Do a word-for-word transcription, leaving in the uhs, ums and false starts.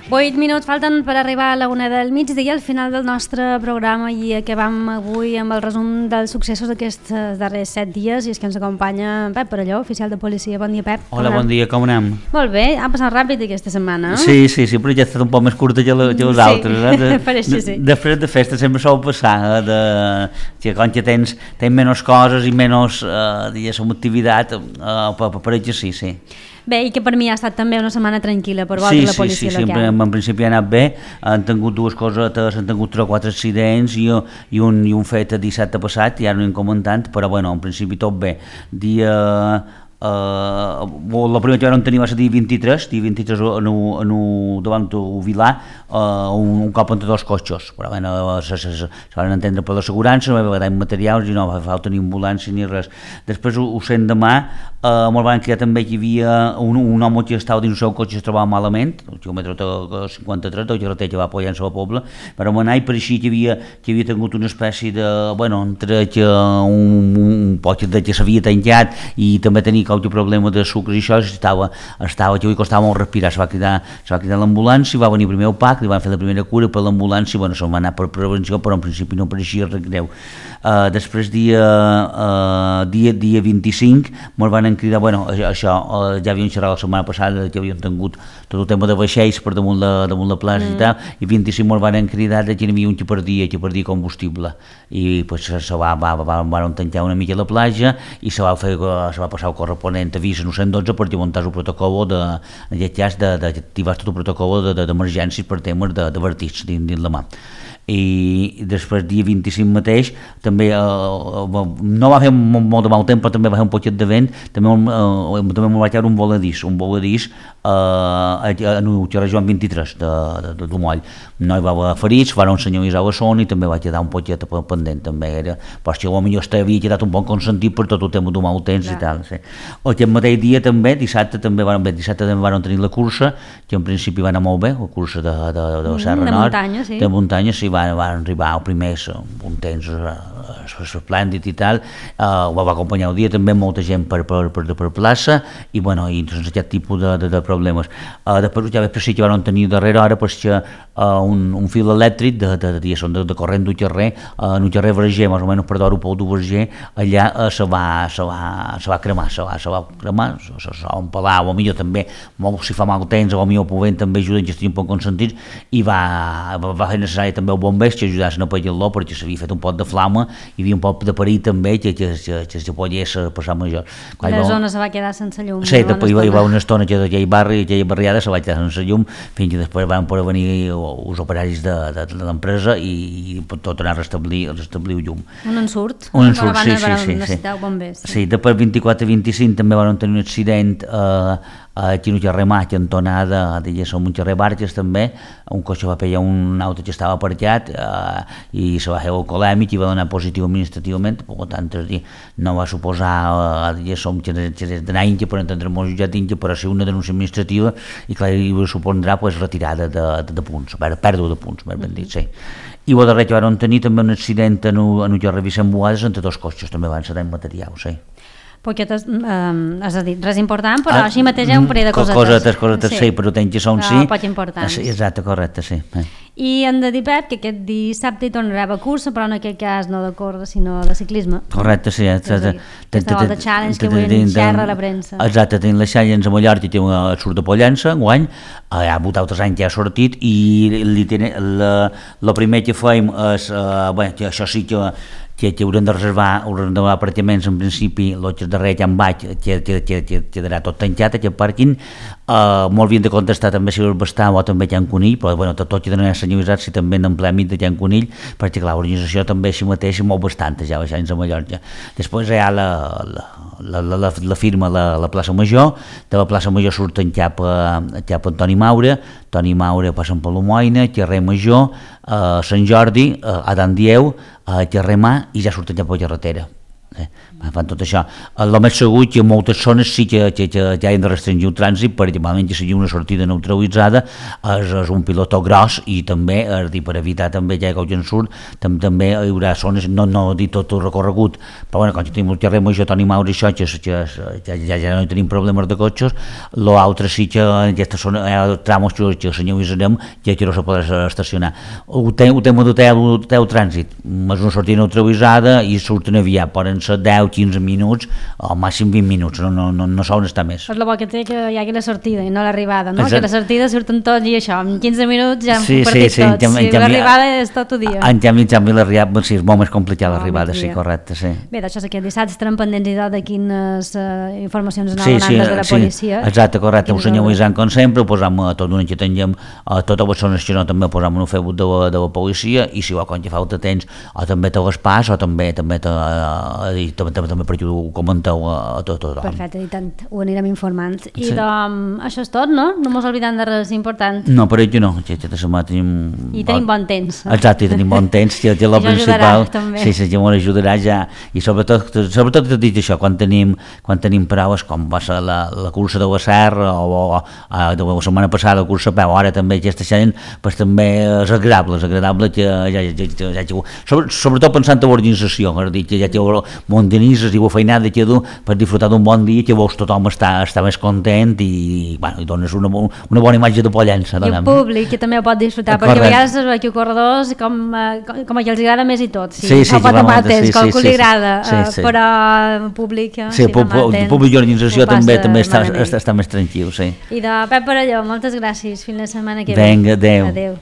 Vuit minuts falten per arribar a la una del migdia, al final del nostre programa, i acabam avui amb el resum dels successos d'aquests darrers set dies, i és que ens acompanya Pep Parelló, oficial de policia. Bon dia, Pep. Hola, bon dia, com anem? Molt bé, ha passat ràpid aquesta setmana. Sí, sí, sí, però ja ha estat un poc més curta que, la, que les sí, altres. Eh? De, pareix que sí. De, després de festa sempre sol passar, eh? de, que quan ja tens, tens menys coses i menys, eh, diguéssim, activitat, eh, per, per exercir, sí. Bé, i que per mi ha estat també una setmana tranquil·la per sí, vosaltres, la sí, policia sí, local. Sí, en, en principi ha anat bé, han tingut dues coses, han tingut tres o quatre accidents i, i, un, i un fet dissabte passat, ja no hem comentat, però bueno, en principi tot bé. Dia... Uh, la primera que vam tenir va ser dia vint-i-tres, dia vint-i-tres en, en, davant del Vilar, uh, un, un cop entre dos cotxes, però bueno, se, se, se, se van entendre per l'assegurança, no va haver materials i no va falta ni ambulància ni res. Després, ho sent demà, uh, me'l van crear també que hi havia un, un home que estava dins el seu cotxe, es trobava malament, el quilòmetre cinquanta-tres, del carretera que va apoyant-se a la Pobla, però vam anar i pareixia que havia, que havia tingut una espècie de, bueno, entre que un, un poc de que s'havia tancat i també tenia qualque problema de sucres i això, estava, estava que avui costava molt respirar, se va cridar, se va cridar l'ambulància, va venir primer el P A C, li van fer la primera cura per l'ambulància, bueno, se'n va anar per prevenció, però en principi no pareixia res greu. Uh, després dia, uh, dia, dia vint-i-cinc me'l van cridar, bueno, això, uh, ja havíem xerrat la setmana passada que havien tingut tot el tema de vaixells per damunt la, damunt la plaça mm. i tal, i vint-i-cinc me'l van cridar que hi havia un que perdia, que perdia combustible, i pues, se va, va, va, van tancar una mica la platja i se va, fer, se va passar el corresponent avís al cent dotze per muntar el protocol de, en aquest cas, d'activar tot el protocol d'emergències per temes d'avertits dins, dins la mà. I després dia vint-i-cinc mateix també eh, no va fer molt, molt de mal temps, però també va fer un poquet de vent, també, eh, també m'ho va caure un voladís un voladís eh, en el carrer Joan vint-i-tres de, de, de Dumoll. No hi va haver ferits, van senyalitzar la zona i també va quedar un poquet pendent, també era, però si potser este havia quedat un poc consentit per tot el tema del mal temps i tal. Sí. Aquest mateix dia també, dissabte també van, bé, dissabte també van tenir la cursa, que en principi va anar molt bé, la cursa de, de, de, de Serra de Nord, muntanya, sí. de muntanya, sí, van, van arribar el primer un temps esplèndid i tal, uh, va acompanyar el dia també molta gent per, per, per, per plaça i bueno, i doncs aquest tipus de, de, de problemes. Uh, després ja després sí que van tenir darrere hora perquè uh, un, un fil elèctric de, de, de, de, de corrent del carrer, uh, en el carrer Verger, més o menys per l'aeroport del Verger, allà uh, se, va, se, va, se va cremar, se va, se va cremar, se, se, se va empalar, o millor també, molt, si fa mal temps, o millor podent també ajuden, que estiguin un poc consentits, i va, va, va fer necessari també el bombers que ajudassin a apagar-lo perquè s'havia fet un pot de flama, hi havia un pot de perill també que, que, que, que se pogués passar major. Quan la zona se va quedar sense llum. Sí, després hi va una estona que d'aquell barri, aquella barriada se va quedar sense llum, fins que després van poder venir els operaris de, de, de l'empresa i, i tot anar a restablir, a restablir el llum. Un ensurt. Un ensurt, sí, sí, sí. Necessitar bombers. Sí, després vint-i-quatre i vint-i-cinc també van tenir un accident eh, aquí en el carrer Mà, cantonada, diguéssim, un carrer Barques també, un cotxe va pegar un auto que estava aparcat eh, i se va fer alcoholèmic i va donar positiu administrativament, per tant, no va suposar, eh, diguéssim, que d'anar a Inca per entendre molt jutjat d'Inca, però ser una denúncia administrativa i clar, hi supondrà pues, retirada de, de, de punts, pèrdua de punts, més ben dit, sí. I el darrer que van tenir també un accident en el carrer Vicent Boades entre dos cotxes, també van ser materials, sí. Poquetes, um, és a dir, res important, però ah, així mateix hi ha un parell de cosetes. Cosetes, cosetes, sí, sí però tens que són sí. Però poc importants. Sí, exacte, correcte, sí. I hem de dir, Pep, que aquest dissabte hi tornarà a cursa, però en aquest cas no de córrer, sinó de ciclisme. Correcte, sí. Aquesta volta challenge que avui en xerra a la premsa. Exacte, tenim la challenge a Mallorca, que surt de Pollença, enguany, hi ha hagut altres anys que ha sortit, i el primer que fem és, bé, això sí que que, que haurem de reservar, haurem de reservar apartaments en principi, l'altre darrer ja en vaig, que, que, que, que quedarà tot tancat, aquest pàrquing, uh, molt havien de contestar també si el bastar o també Can Conill, però bueno, tot, tot quedarà senyalitzat si també en plèmit de Can Conill, perquè clar, l'organització també així mateix molt bastanta ja baixant a Mallorca. Després hi ha la, la, la, la, la, la firma la, la plaça Major, de la plaça Major surten cap a, cap a Antoni Maura, Antoni Maura passen per l'Homoina, carrer Major, a Sant Jordi, a Dan Dieu, a carrer Mà, i ja surten cap a la carretera. Eh, fan tot això. El més segur que en moltes zones sí que, que, que, que han de restringir el trànsit perquè malament que sigui una sortida neutralitzada és, és un pilotó gros i també és dir, per evitar també ja que el gent surt tam, també hi haurà zones, no, no dir tot el recorregut, però bueno, quan tenim el carrer Major Toni Mauri això que, que, que ja, ja no tenim problemes de cotxes, l'altre sí que en aquesta zona hi ha tramos que, que senyalitzarem que, que no se podrà estacionar. El tema del trànsit és una sortida neutralitzada i surten aviat, poden ser deu quinze minuts o màxim vint minuts, no, no, no, no solen estar més. És el bo que té que hi hagi la sortida i no l'arribada, no? Exacte. Que la sortida surten tots i això, en quinze minuts ja hem sí, partit sí, sí, tots, si l'arribada és tot el dia. En canvi, en canvi l'arribada, sí, és molt més complicat l'arribada, sí, correcte, sí. Bé, d'això és que el dissabte estarem pendents de quines uh, informacions anaven sí, sí, des de la sí, policia. Exacte, correcte, ho senyalitzem com sempre, ho posam a tot una que tinguem, a totes les zones que no també ho posam en un Facebook de, de la policia i si ho quan que falta temps, o també te les pas, o també també te, uh, també també, també per aquí ho comenteu a, a tot tothom. Perfecte, i tant, ho anirem informant. I sí. doncs, això és tot, no? No mos oblidem de res important. No, per aquí no, que aquesta setmana tenim... I tenim bon temps. Exacte, i tenim bon temps, que és el principal. També. Sí, sí, que m'ho ajudarà ja. I sobretot, sobretot t'he dit això, quan tenim, quan tenim proves, com va ser la, la cursa de la Serra, o, o, o de la setmana passada la cursa a peu, ara també aquesta gent, pues, també és agradable, és agradable que ja, ja, ja, ja, ja sobre, sobretot pensant en l'organització, és a dir, que ja té muntanissa i la feinada que du per disfrutar d'un bon dia que veus tothom està, està més content i, bueno, i dones una, una bona imatge de Pollença. I el públic que també ho pot disfrutar, correcte. Perquè a vegades es veu que corredors com, com, com que els agrada més i tot, sí, sí, sí, pot amar temps, sí, com que sí, li agrada, sí, sí. però el públic sí, sí, el públic i l'organització també, també està, està, està més tranquil, sí. I de Pep Parelló, moltes gràcies, fins la setmana que ve. Vinga, adeu. Adeu.